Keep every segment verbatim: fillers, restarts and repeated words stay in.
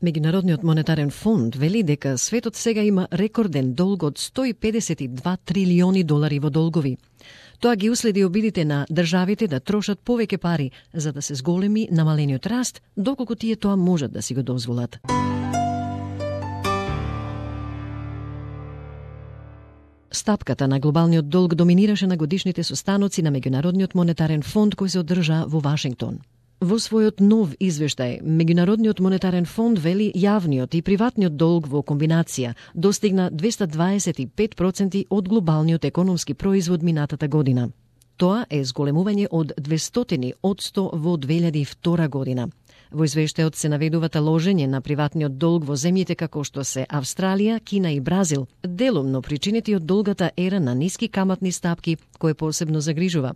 Меѓународниот монетарен фонд вели дека светот сега има рекорден долг од сто и педесет и два трилиони долари во долгови. Тоа ги уследи обидите на државите да трошат повеќе пари за да се зголеми намалениот раст, доколку тие тоа можат да си го дозволат. Стапката на глобалниот долг доминираше на годишните состаноци на Меѓународниот монетарен фонд кој се одржа во Вашингтон. Во својот нов извештај, Меѓународниот монетарен фонд вели јавниот и приватниот долг во комбинација достигна двесте дваесет и пет проценти од глобалниот економски производ минатата година. Тоа е зголемување од двестотини одсто во две илјади и втора година. Во извештајот се наведувата ложење на приватниот долг во земјите како што се Австралија, Кина и Бразил, делумно причинети од долгата ера на ниски каматни стапки, кој посебно загрижува.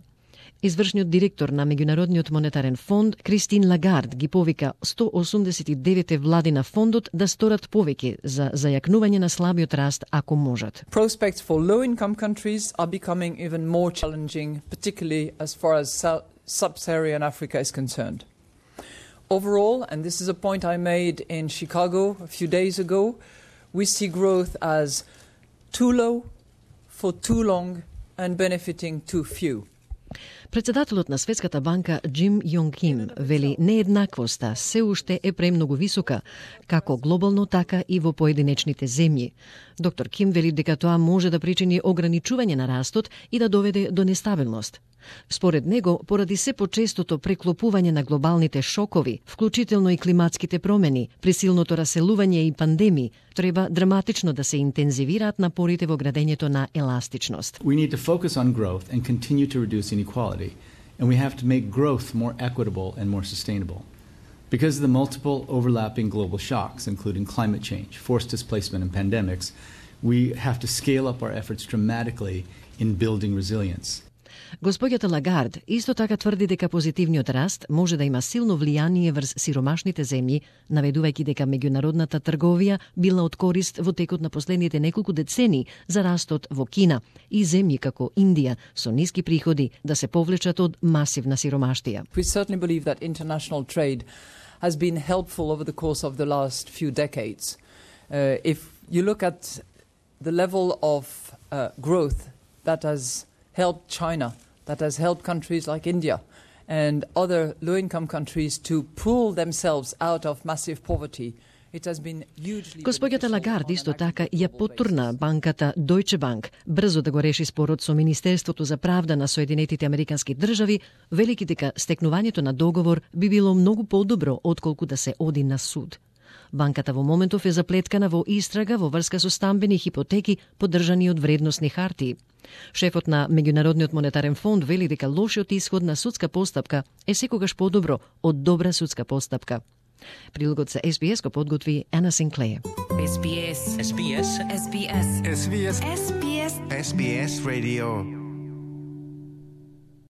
Извршниот директор на Меѓународниот монетарен фонд, Кристин Лагард, ги повика сто осумдесет и девет влади на фондот да сторат повеќе за зајакнување на слабиот раст ако можат. Prospects for low-income countries are becoming even more challenging, particularly as far as sub-Saharan Africa is concerned. Overall, and this is a point I made in Chicago a few days ago, we see growth as too low, for too long, and benefiting too few. Председателот на Светската банка Џим Јонг Ким вели нееднаквоста се уште е премногу висока, како глобално така и во поединечните земји. Доктор Ким вели дека тоа може да причини ограничување на растот и да доведе до нестабилност. Според него, поради се почестото преклопување на глобалните шокови, вклучително и климатските промени, присилното раселување и пандемии, треба драматично да се интензивираат напорите во градењето на еластичност. We need to focus on growth and continue to reduce inequality, and we have to make growth more equitable and more sustainable. Because of the multiple overlapping global shocks, including climate change, forced displacement and pandemics, we have to scale up our efforts dramatically in building resilience. Господјата Лагард исто така тврди дека позитивниот раст може да има силно влијание врз сиромашните земји, наведувајќи дека меѓународната трговија била од корист во текот на последните неколку децени за растот во Кина и земји како Индија со ниски приходи да се повлечат од масивна сиромаштија. We certainly believe that international trade has been helpful over the course of the last few decades. Uh, if you look at the level of uh, growth that has helped China, that has helped countries like India and other low-income countries to pull themselves out of massive poverty. It has been hugely... Господјата Лагард исто така ја потурна банката Deutsche Bank брзо да го реши спорот со Министерството за правда на Соединетите Американски држави, велики дека стекнувањето на договор би било многу подобро отколку да се оди на суд. Банката во моментов е заплеткана во истрага во врска со стамбени хипотеки поддржани од вредносни хартии. Шефот на Меѓународниот монетарен фонд вели дека лошиот исход на судска постапка е секогаш подобро од добра судска постапка. Прилогот за Ес Би Ес го подготви Ана Синклеј. Ес Би Ес. Ес Би Ес. Ес Би Ес. Ес Би Ес. Ес Би Ес. Ес Би Ес Radio.